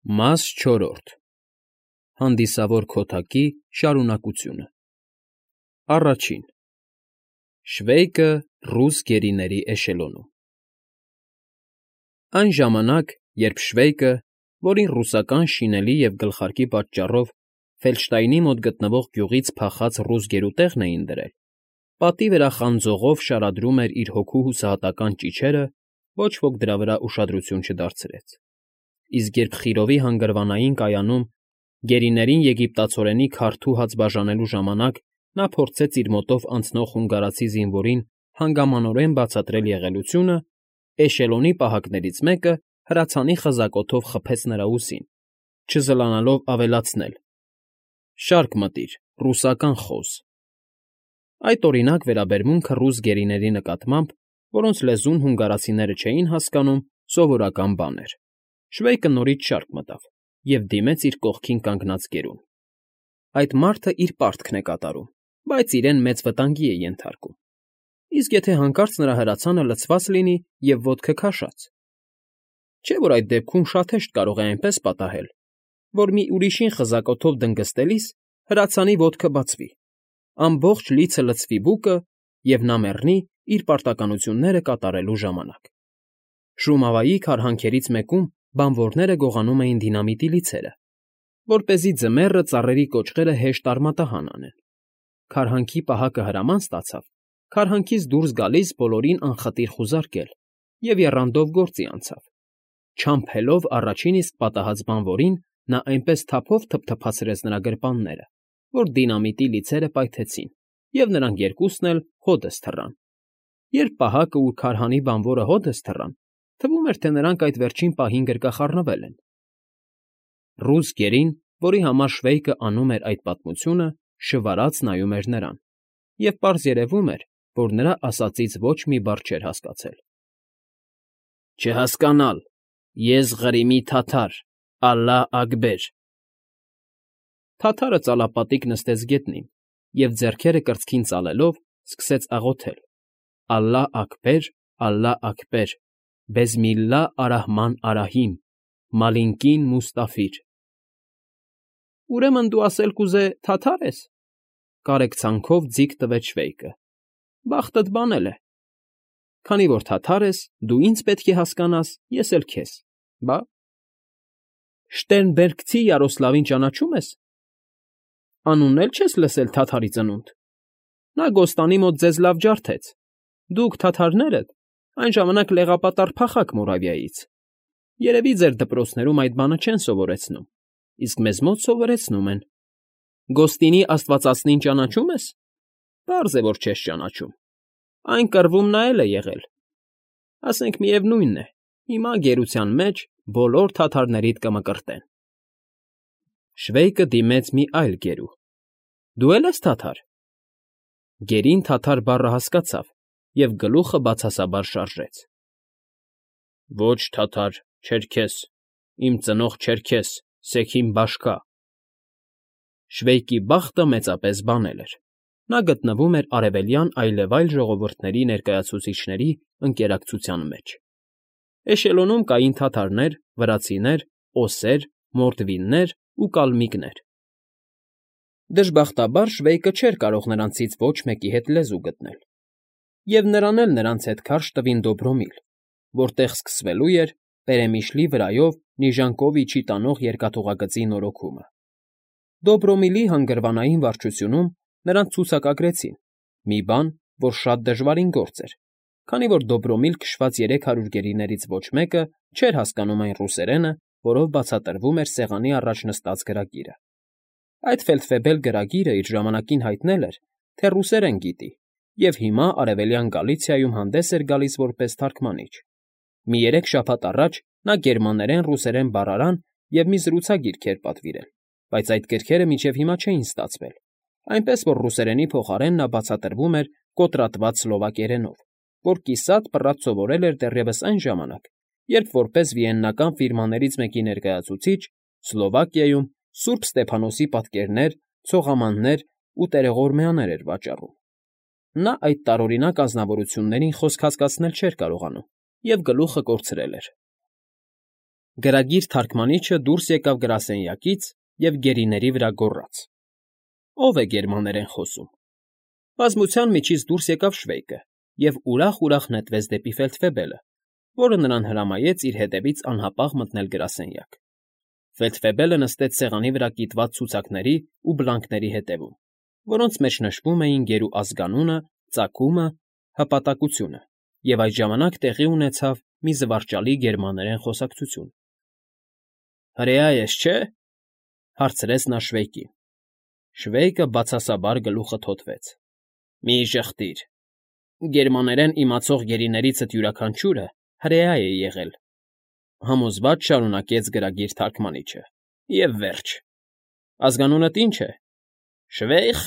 Մաս 4. Հանդիսավոր քոթակի շարունակությունը Առաջին. Շվեյկը ռուս գերիների էշելոնում Այն ժամանակ, երբ Շվեյկը, որին ռուսական շինելի և գլխարկի պատճառով Ֆելդշտայնի մոտ գտնվող գյուղից փախած ռուս գերուտեղն էին դրել, պատի վրա խանձողով շարադրում էր իր հոգու հուսահատական ճիչերը, ոչ ոք դրա վրա ուշադրություն չդարձրեց, իսկ երբ Խիրովի հանգրվանային կայանում գերիներին եգիպտացորենի քարդու հաց բաժանելու ժամանակ նա փորձեց իր մոտով անցնող հունգարացի զինվորին հանգամանորեն բացատրել եղելությունը, էշելոնի պահակներից մեկը հրացանի խզակոթով խփեց նրա ուսին, չզլանալով ավելացնել. «Շարք մտիր, ռուսական խոզ»։ Այդ օրինակ վերաբերմունքը ռուս գերիների նկատմամբ, որոնց լեզուն հունգարացիները չէին հասկանում, սովորական բան էր։ Շվեյկը նորից շարք մտավ և դիմեց իր կողքին կանգնած գերուն։ Այդ մարդը իր պարտքն է կատարում, բայց իրեն մեծ վտանգի է ենթարկում։ Իսկ եթե հանկարծ նրա հրացանը լցված լինի և ոտքը քաշած։ Չէ՞ որ այդ դեպքում շատ հեշտ կարող է այնպես պատահել, որ մի ուրիշին խզակոթով դնգստելիս հրացանի ոտքը բացվի, ամբողջ լիցը լցվի բուկը, և նա մեռնի իր պարտականությունները կատարելու ժամանակ։ Շումավայի քարհանքերից մեկում բանվորները գողանում էին դինամիտի լիցերը, որպեսզի ձմեռը ծառերի կոճղերը հեշտ արմատահան անեն։ Քարհանքի պահակը հրաման ստացավ քարհանքից դուրս գալիս բոլորին անխտիր խուզարկել և եռանդով գործի անցավ։ Չամփելով առաջին իսկ պատահած բանվորին, նա այնպես թափով թփթփացրեց նրա գրպանները, որ դինամիտի լիցերը պայթեցին, և նրանք երկուսն էլ հօդս թռան։ Երբ պահակը ու քարհանի բանվորը հօդս թռան, թվում էր, թե նրանք այդ վերջին պահին գրկախառնվել են։ Ռուս գերին, որի համար Շվեյկը անում էր այդ պատմությունը, շվարած նայում էր նրան, և պարզ երևում էր, որ նրա ասածից ոչ մի բառ չէր հասկացել։ Չհասկանալ, ես Ղրիմի թաթար, Ալլահ֊Աքբեր… Թաթարը ծալապատիկ նստեց գետնին և, ձեռքերը կրծքին ծալելով, սկսեց աղոթել. «Ալլահ֊Աքբեր, Ալլահ֊Աքբեր, բեսմիլլահ ար֊Ռահման ար֊Ռահիմ, մալինկին Մուստաֆիր»։ Ուրեմն դու ասել կուզե թաթա՞ր ես,֊ կարեկցանքով ձիգ տվեց Շվեյկը։ Բախտդ բանել է։ Քանի որ թաթար ես, դու ինձ պետք է հասկանաս, ես էլ քեզ, բա… Շտերնբերգցի Յարոսլավին ճանաչո՞ւմ ես։ Անունն էլ չես լսել թաթարի ծնունդ։ Նա Գոստանի մոտ ձեզ լավ ջարդեց։ Դուք, թաթարներդ, այն ժամանակ լեղապատառ փախաք Մորավիայից։ Երևի ձեր դպրոցներում այդ բանը չեն սովորեցնում, իսկ մեզ մոտ սովորեցնում են։ Գոստինի աստվածածնին ճանաչո՞ւմ ես։ Պարզ է, որ չես ճանաչում։ Այն կռվում նա էլ է եղել։ Ասենք միևնույն է, հիմա գերության մեջ բոլոր թաթարներիդ կմկրտեն։ Շվեյկը դիմեց մի այլ գերու. Դու է՞լ ես թաթար։ Գերին թաթար բառը հասկացավ և գլուխը բացասաբար շարժեց։ Ոչ թաթար, չերքես, իմ ծնող Չերքես, Սեքին բաշկա… Շվեյկի բախտը մեծապես բանել էր։ Նա գտնվում էր արևելյան այլևայլ ժողովուրդների ներկայացուցիչների ընկերակցության մեջ։ Էշելոնում կային թաթարներ, վրացիներ, օսեր, մորդվիններ ու կալմիկներ։ Դժբախտաբար Շվեյկը չէր կարող նրանցից ոչ մեկի հետ լեզու գտնել, և նրան էլ նրանց հետ քարշ տվին Դոբրոմիլ, որտեղ սկսվելու էր Պերեմիշլի վրայով Նիժանգովիչի տանող երկաթուղագծի նորոգումը։ Դոբրոմիլի հանգրվանային վարչությունում նրանց ցուցակագրեցին, մի բան, որ շատ դժվարին գործ էր, քանի որ Դոբրոմիլ քշված 300 գերիներից ոչ մեկը չէր հասկանում այն ռուսերենը, որով բացատրվում էր սեղանի առաջ նստած գրագիրը։ Այդ ֆելդֆեբել գրագիրը իր ժամանակին հայտնել էր, թե ռուսերեն գիտի, և հիմա Արևելյան Գալիցիայում հանդես էր գալիս որպես թարգմանիչ։ Մի 3 շաբաթ առաջ նա գերմաներեն֊ռուսերեն բառարան և մի զրուցագիրք էր պատվիրել, բայց այդ գրքերը մինչև հիմա չէին ստացվել, այնպես որ ռուսերենի փոխարեն նա բացատրվում էր կոտրատված սլովակերենով, որ կիսատ պռատ սովորել էր դեռևս այն ժամանակ, երբ որպես վիեննական ֆիրմաներից մեկի ներկայացուցիչ Սլովակիայում Սուրբ Ստեփանոսի պատկերներ, ցողամաններ ու տերողորմյաներ էր վաճառում։ Նա այդ տարօրինակ ազնվորություններին խոսք հասկացնել չէր կարողանում և գլուխը կորցրել էր։ Գրագիր թարգմանիչը դուրս եկավ գրասենյակից և գերիների վրա գոռաց. ով է գերմաներեն խոսում։ Բազմության միջից դուրս եկավ Շվեյկը և ուրախ նետվեց դեպի ֆելդֆեբելը, որը նրան հրամայեց իր հետևից անհապաղ մտնել գրասենյակ։ Ֆելդֆեբելը նստեց սեղանի վրա կիտված ցուցակների ու բլանկների հետևում, որոնց մեջ նշվում էին գերու ազգանունը, ծագումը, հպատակությունը, և այդ ժամանակ տեղի ունեցավ մի զվարճալի գերմաներեն խոսակցություն։ «Հրեա ես, չէ՞, հարցրեց նա Շվեյկին։ Շվեյկը բացասաբար գլուխը թոթվեց։ «Մի ժխտիր, գերմաներեն իմացող գերիներիցդ յուրաքանչյուրը հրեա է եղել», համոզված շարունակեց գրագիր թարգմանիչը։ «Եվ վերջ։ Ազգանունդ ի՞նչ է։ Շվեյխ,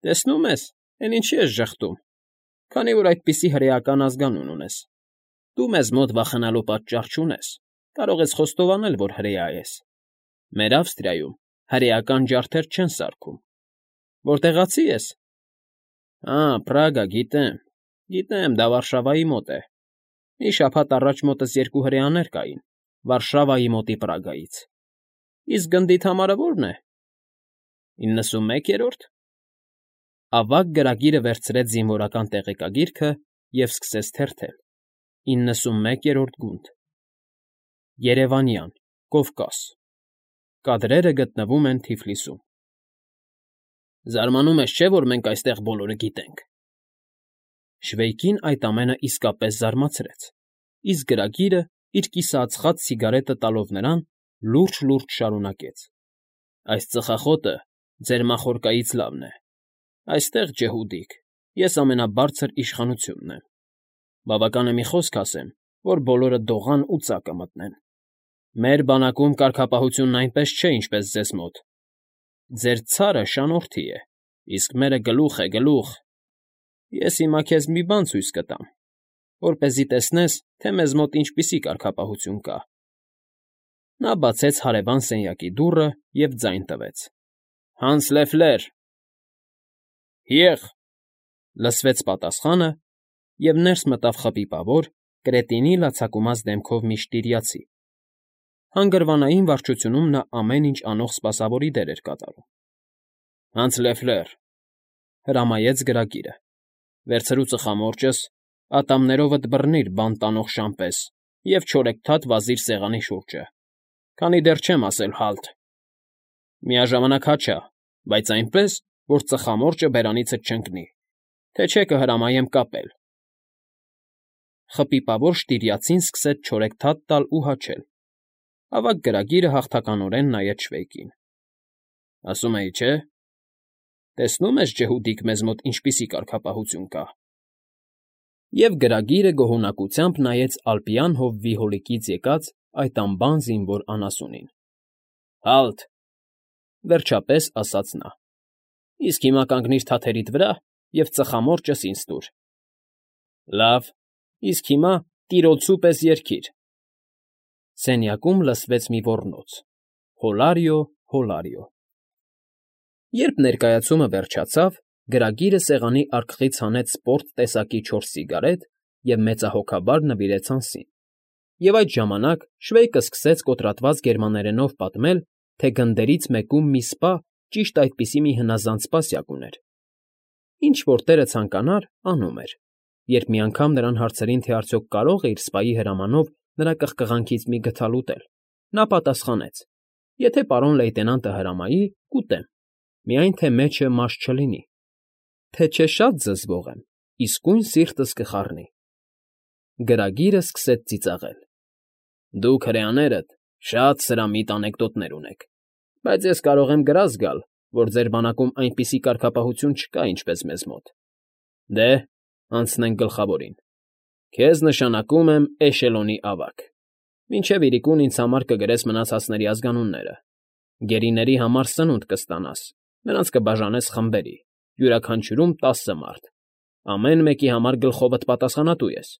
տեսնում ես, էն ինչի ես ժխտում, քանի որ այդպիսի հրեական ազգանուն ունես։ Դու մեզ մոտ վախենալու պատճառ չունես, կարող ես խոստովանել, որ հրեա ես։ Մեր Ավստրիայում հրեական ջարդեր չեն սարքում։ Որտեղացի ես։ Պրագա, գիտեմ, դա Վարշավայի մոտ է։ Մի շաբաթ առաջ մոտս 2 հրեաներ կային Վարշավայի մոտի Պրագայից։ Իսկ գնդիդ համարը ո՞րն է։ 91-րդ։ Ավագ գրագիրը վերցրեց զինվորական տեղեկագիրքը և սկսեց թերթել. 91-րդ գունդ։ Երևանյան, Կովկաս։ Կադրերը գտնվում են Թիֆլիսում։ Զարմանում ես, չէ՞, որ մենք այստեղ բոլորը գիտենք։ Շվեյկին այդ ամենը իսկապես զարմացրեց, իսկ գրագիրը, իր կիսաածխած սիգարետը տալով նրան, լուրջ շարունակեց. Այս ծխախոտը ձեր մախորկայից լավն է։ Այստեղ, ջհուդիկ, ես ամենաբարձր իշխանությունն եմ։ Բավական է մի խոսք ասեմ, որ բոլորը դողան ու ծակը մտնեն։ Մեր բանակում կարգապահությունն այնպես չէ, ինչպես ձեզ մոտ։ Ձեր ցարը շանորդի է, իսկ մերը գլուխ է, գլուխ։ Ես հիմա քեզ մի բան ցույց կտամ, որպեսզի տեսնես, թե մեզ մոտ ինչպիսի կարգապահություն կա։ Նա բացեց հարևան սենյակի դուռը և ձայն տվեց. «Հանս Լեֆլեր»։ «Հիեղ», լսվեց պատասխանը, և ներս մտավ խփիպավոր, կրետինի լացակումած դեմքով մի շտիրիացի։ Հանգրվանային վարչությունում նա ամեն ինչ անող սպասավորի դեր էր կատարում։ «Հանս Լեֆլեր», հրամայեց գրագիրը, «վերցրու ծխամորճս, ատամներովդ բռնիր բանտ տանող շամպես և չորեքթաթ վազիր սեղանի շուրջը, քանի դեռ չեմ ասել «հալթ»։ Միաժամանակ հաչա, բայց այնպես, որ ծխամորճը բերանիցդ չընկնի, թե չէ կհրամայեմ կապել»։ Խփիպավոր շտիրիացին սկսեց չորեքթաթ տալ ու հաչել։ Ավագ գրագիրը հաղթականորեն նայեց Շվեյկին։ «Ասում էի, չէ՞։ Տեսնում ես, ջհուդիկ, մեզ մոտ ինչպիսի կարգապահություն կա»։ Եվ գրագիրը գոհունակությամբ նայեց ալպյան հովվի հոլիկից եկած այդ անբան զինվոր անասունին։ «Հալթ», վերջապես ասաց նա։ «Իսկ հիմա կանգնիր թաթերիդ վրա և ծխամորճս ինձ տուր»։ «Լավ, իսկ հիմա տիրոլցու պես երգիր»։ Սենյակում լսվեց մի ոռնոց. «Հոլարիո, հոլարիո»։ Երբ ներկայացումը վերջացավ, գրագիրը սեղանի արկղից հանեց սպորտ տեսակի 4 սիգարետ և մեծահոգաբար նվիրեց անցին։ Եվ այդ ժամանակ Շվեյկը սկսեց կոտրատված գերմաներենով պատմել, թե գնդերից մեկում մի սպա ճիշտ այդպիսի մի հնազանդ սպասյակ ուներ։ Ինչ֊որ տերը ցանկանար, անում էր։ Երբ մի անգամ նրան հարցրին, թե արդյոք կարող է իր սպայի հրամանով նրա կղկղանքից մի գդալ ուտել, նա պատասխանեց. «Եթե պարոն լեյտենանտը հրամայի, կուտեմ, միայն թե մեջը մաշ չլինի, թե չէ շատ զզվող եմ, իսկույն սիրտս կխառնի»։ Գրագիրը սկսեց ծիծաղել. «Դուք հրեաներդ շատ սրամիտ անեկդոտներ ունեք, բայց ես կարող եմ գրազ գալ, որ ձեր բանակում այնպիսի կարգապահություն չկա, ինչպես մեզ մոտ։ Դե, անցնենք գլխավորին։ Քեզ նշանակում եմ էշելոնի ավագ։ Մինչև իրիկուն ինձ համար կգրես մնացածների ազգանունները։ Գերիների համար սնունդ կստանաս, նրանց կբաժանես խմբերի, յուրաքանչյուրում 10 մարդ։ Ամեն մեկի համար գլխովդ պատասխանատու ես։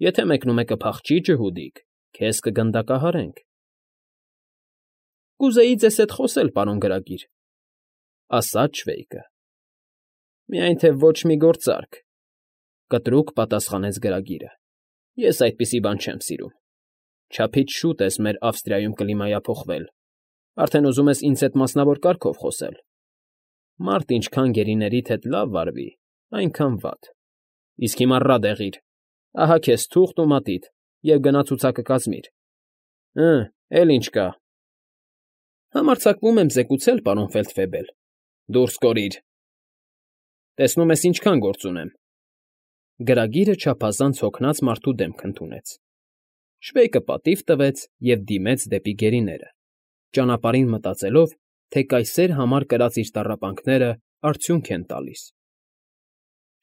Եթե մեկնումեկը փախչի, ջհուդիկ, քեզ կգնդակահարենք»։ «Կուզեի ձեզ հետ խոսել, պարոն գրագիր», ասաց Շվեյկը։ «Միայն թե ոչ մի գործարք», կտրուկ պատասխանեց գրագիրը։ «Ես այդպիսի բան չեմ սիրում։ Չափից շուտ ես մեր Ավստրիայում կլիմայափոխվել, արդեն ուզում ես ինձ հետ մասնավոր կարգով խոսել։ Մարդ ինչքան գերիներիդ հետ լավ վարվի, այնքան վատ։ Իսկ հիմա ռադ եղիր, ահա քեզ թուղթ ու մատիտ, և գնա ցուցակը կազմիր։ Էլ ինչ կա։ Համարձակվում եմ զեկուցել, պարոն Ֆեյլդֆեբել։ Դուրս կորիր։ Տեսնում ես ինչքան գործ ունեմ։ Գրագիրը չափազանց հոգնած մարդու դեմք ընդունեց։ Շվեյկը պատիվ տվեց և դիմեց դեպի գերիները, ճանապարհին մտածելով, թե կայսեր համար կրած իր տառապանքները արդյունք են տալիս։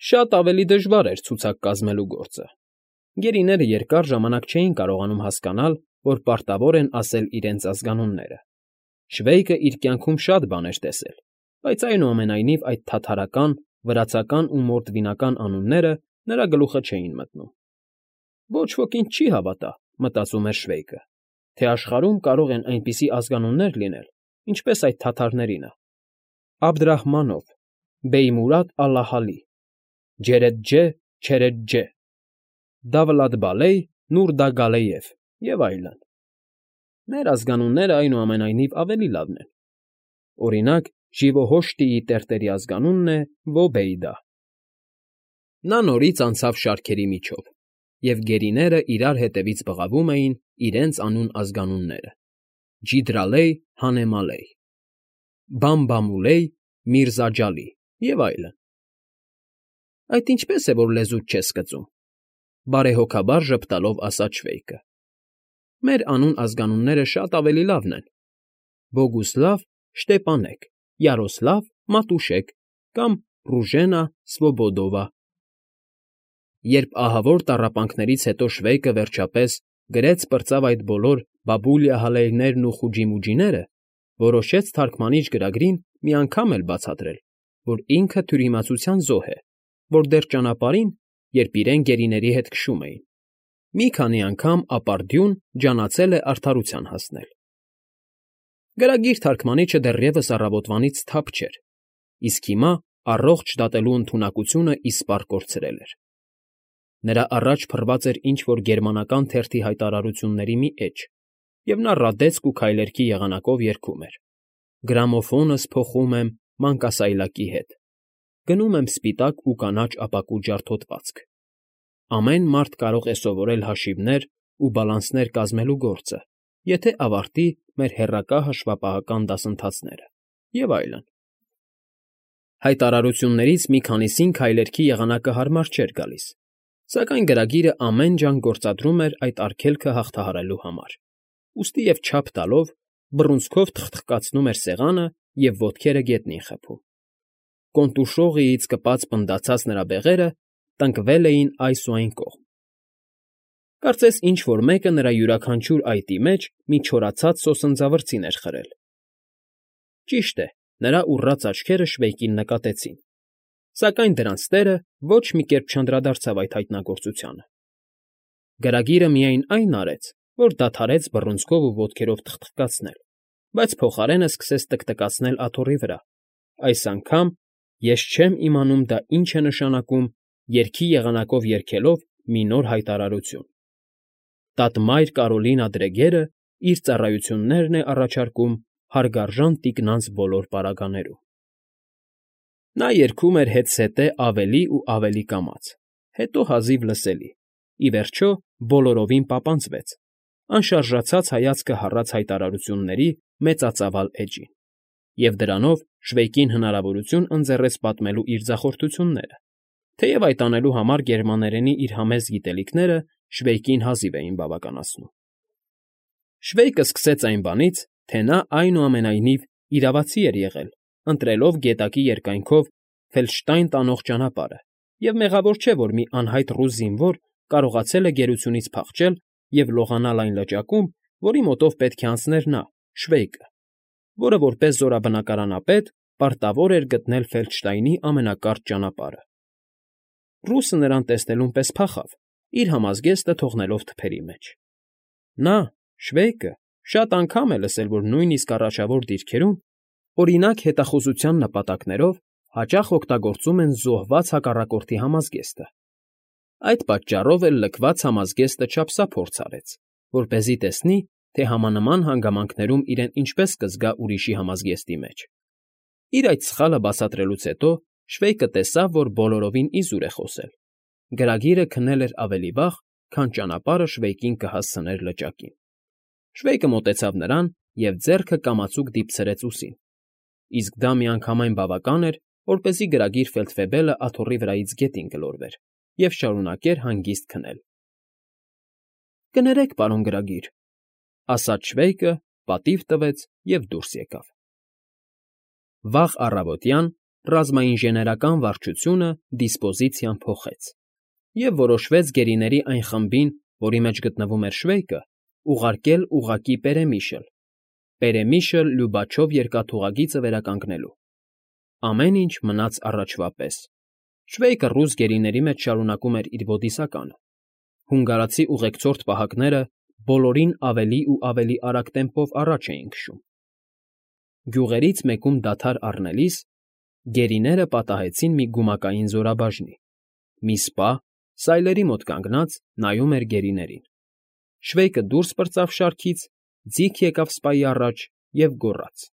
Շատ ավելի դժվար էր ցուցակ կազմելու գործը։ Գերիները երկար ժամանակ չէին կարողանում հասկանալ, որ պարտավոր են ասել իրենց ազգանունները։ Շվեյկը իր կյանքում շատ բաներ տեսել, բայց այնուամենայնիվ այդ թաթարական, վրացական ու մորդվինական անունները նրա գլուխը չէին մտնում։ Ոչ ոք ինձ չի հավատա, մտածում էր Շվեյկը, թե աշխարհում կարող են այնպիսի ազգանուններ լինել, ինչպես այդ թաթարներինը. Աբդռահմանով, Բեյմուրադ Ալլահալի, Ջերեջջե, Չերեջջե, Դավլաթբալեյ, Նուրդագալեյև և այլն։ Մեր ազգանունները այնուամենայնիվ ավելի լավն են։ Օրինակ, Ժիվոհոշտիի տերտերի ազգանունն է Վոբեյդա։ Նա նորից անցավ շարքերի միջով, և գերիները իրար հետևից բղավում էին իրենց անուն ազգանունները. Ջիդրալեյ, Հանեմալեյ, Բամբամուլեյ, Միրզաջալի և այլն։ Այդ ինչպես է, որ լեզուդ չես կծում,֊ բարեհոգաբար ժպտալով ասաց Շվեյկը։ Մեր անուն ազգանունները շատ ավելի լավն են. Բոգուսլավ, Շտեպանեկ, Յարոսլավ, Մատուշեկ կամ Ռուժենա, Սվոբոդովա։ Երբ ահավոր տառապանքներից հետո Շվեյկը վերջապես գրեց պրծավ այդ բոլոր բաբուլիա֊հալեյներն ու խուջիմուջիները, որոշեց թարգմանիչ գրագրին մի անգամ էլ բացատրել, որ ինքը թյուրիմացության զոհ է, որ դեռ ճանապարհին, երբ իրեն գերիների հետ քշում էին, մի քանի անգամ ապարդյուն ջանացել է արդարության հասնել։ Գրագիր թարգմանիչը դեռևս առավոտվանից թափ չէր, իսկ հիմա առողջ դատելու ընդունակությունը իսպառ կորցրել էր։ Նրա առաջ փռված էր ինչ֊որ գերմանական թերթի հայտարարությունների մի էջ, և նա ռադեցկ ու քայլերքի եղանակով երգում էր. Գրամոֆոնս փոխում եմ մանկասայլակի հետ, գնում եմ սպիտակ ու կանաչ ապակու ջարդոտվածք։ Ամեն մարդ կարող է սովորել հաշիվներ ու բալանսներ կազմելու գործը, եթե ավարտի մեր հեռակա հաշվապահական դասընթացները, և այլն։ Հայտարարություններից մի քանիսին քայլերքի եղանակը հարմար չէր գալիս, սակայն գրագիրը ամեն ջանք գործադրում էր այդ արգելքը հաղթահարելու համար, ուստի և չափ տալով բռունցքով թխթխկացնում էր սեղանը և ոտքերը գետնին խփում։ Կոնտուշողիից կպած պնդացած նրա բեղերը տնկվել էին այս ու այն կողմ։ Կարծես ինչ֊որ մեկը նրա յուրաքանչյուր այտի մեջ մի չորացած սոսնձավրձին էր խրել։ Ճիշտ է, նրա ուռած աչքերը Շվեյկին նկատեցին, սակայն դրանց տերը ոչ մի կերպ չանդրադարձավ այդ հայտնագործությանը։ Գրագիրը միայն այն արեց, որ դադարեց բռունցքով ու ոտքերով թխթխկացնել, բայց փոխարենը սկսեց տկտկացնել աթոռի վրա, այս անգամ ես չեմ իմանում դա ինչ է նշանակում, երգի եղանակով երգելով մի նոր հայտարարություն. Տատմայր Կարոլինա Դրեգերը իր ծառայություններն է առաջարկում հարգարժան տիկնանց բոլոր պարագաներում։ Նա երգում էր հետզհետե ավելի ու ավելի կամաց, հետո հազիվ լսելի, ի վերջո բոլորովին պապանձվեց, անշարժացած հայացքը հառած հայտարարությունների մեծածավալ էջին, և դրանով Շվեյկին հնարավորություն ընձեռեց պատմելու իր ձախորդությունները, թեև այդ անելու համար գերմաներենի իր համեստ գիտելիքները Շվեյկին հազիվ էին բավականացնում։ Շվեյկը սկսեց այն բանից, թե նա այնուամենայնիվ իրավացի էր եղել, ընտրելով գետակի երկայնքով Ֆելդշտայն տանող ճանապարհը, և մեղավոր չէ, որ մի անհայտ ռուս զինվոր կարողացել է գերությունից փախչել և լողանալ այն լճակում, որի մոտով պետք է անցներ նա, Շվեյկը, որը որպես զորաբնակարանապետ պարտավոր էր գտնել Ֆելդշտայնի ամենակարճ ճանապարհը։ Ռուսը նրան տեսնելուն պես փախավ, իր համազգեստը թողնելով թփերի մեջ։ Նա, Շվեյկը, շատ անգամ է լսել, որ նույնիսկ առաջավոր դիրքերում, օրինակ հետախուզության նպատակներով, հաճախ օգտագործում են զոհված հակառակորդի համազգեստը։ Այդ պատճառով էլ լքված համազգեստը չափսափորձ արեց որպեսզի տեսնի, թե համանման հանգամանքներում իրեն ինչպես կզգա ուրիշի համազգեստի մեջ։ Իր այդ սխալը բացատրելուց հետո Շվեյկը տեսավ, որ բոլորովին իզուր է խոսել։ Գրագիրը քնել էր ավելի վաղ, քան ճանապարհը Շվեյկին կհասցներ լճակին։ Շվեյկը մոտեցավ նրան և ձեռքը կամացուկ դիպցրեց ուսին, իսկ դա միանգամայն բավական էր, որպեսզի գրագիր Ֆեյլդֆեբելը աթոռի վրայից գետին գլորվեր և շարունակեր հանգիստ քնել։ «Կներեք, պարոն գրագիր», ասաց Շվեյկը, պատիվ տվեց և դուրս եկավ։ Վաղ առավոտյան ռազմաինժեներական վարչությունը դիսպոզիցիան փոխեց և որոշվեց գերիների այն խմբին, որի մեջ գտնվում էր Շվեյկը, ուղարկել ուղղակի Պերեմիշը Լյուբաչով երկաթուղագիծը վերականգնելու։ Ամեն ինչ մնաց առաջվա պես։ Շվեյկը ռուս գերիների մեջ շարունակում էր իր բոդիսականը։ Հունգարացի ուղեկցորդ պահակները բոլորին ավելի ու ավելի արագ տեմպով առաջ էին քշում։ Գյուղերից մեկում դադար առնելիս գերիները պատահեցին մի գումակային զորաբաժնի։ Մի սպա, սայլերի մոտ կանգնած, նայում էր գերիներին։ Շվեյկը դուրս պրծավ շարքից, ձիգ եկավ սպայի առաջ և գոռաց.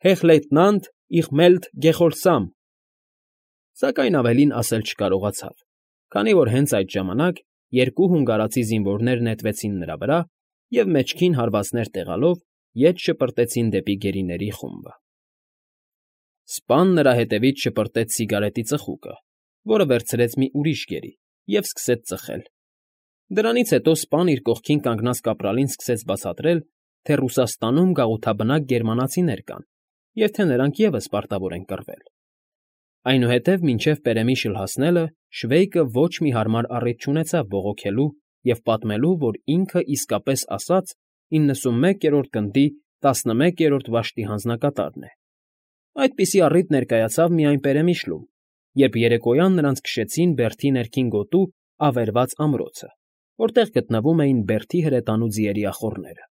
«Հեղ լեյտենանտ, իղ մելտ Գեխորսամ»։ Սակայն ավելին ասել չկարողացավ, քանի որ հենց այդ ժամանակ երկու հունգարացի զինվորներ նետվեցին նրա վրա և մեջքին հարվածներ տեղալով ետ շպրտեցին դեպի գերիների խումբը։ Սպան նրա հետևից շպրտեց սիգարետի ծխուկը, որը վերցրեց մի ուրիշ գերի, և սկսեց ծխել։ Դրանից հետո սպան իր կողքին կանգնած կապրալին սկսեց բացատրել, թե Ռուսաստանում գաղութաբնակ գերմանացիներ կան և թե նրանք ևս պարտավոր են կռվել։ Այնուհետև մինչև Պերեմիշլ հասնելը Շվեյկը ոչ մի հարմար առիթ չունեցավ բողոքելու և պատմելու, որ ինքը իսկապես ասած 91-րդ գնդի 11-րդ վաշտի հանձնակատարն է։ Այդպիսի առիթ ներկայացավ միայն Պերեմիշլում, երբ երեկոյան նրանց քշեցին Բերթի ներքին գոտու ավերված ամրոցը, որտեղ գտնվում էին Բերթի հրետանու ձիերի ախոռները։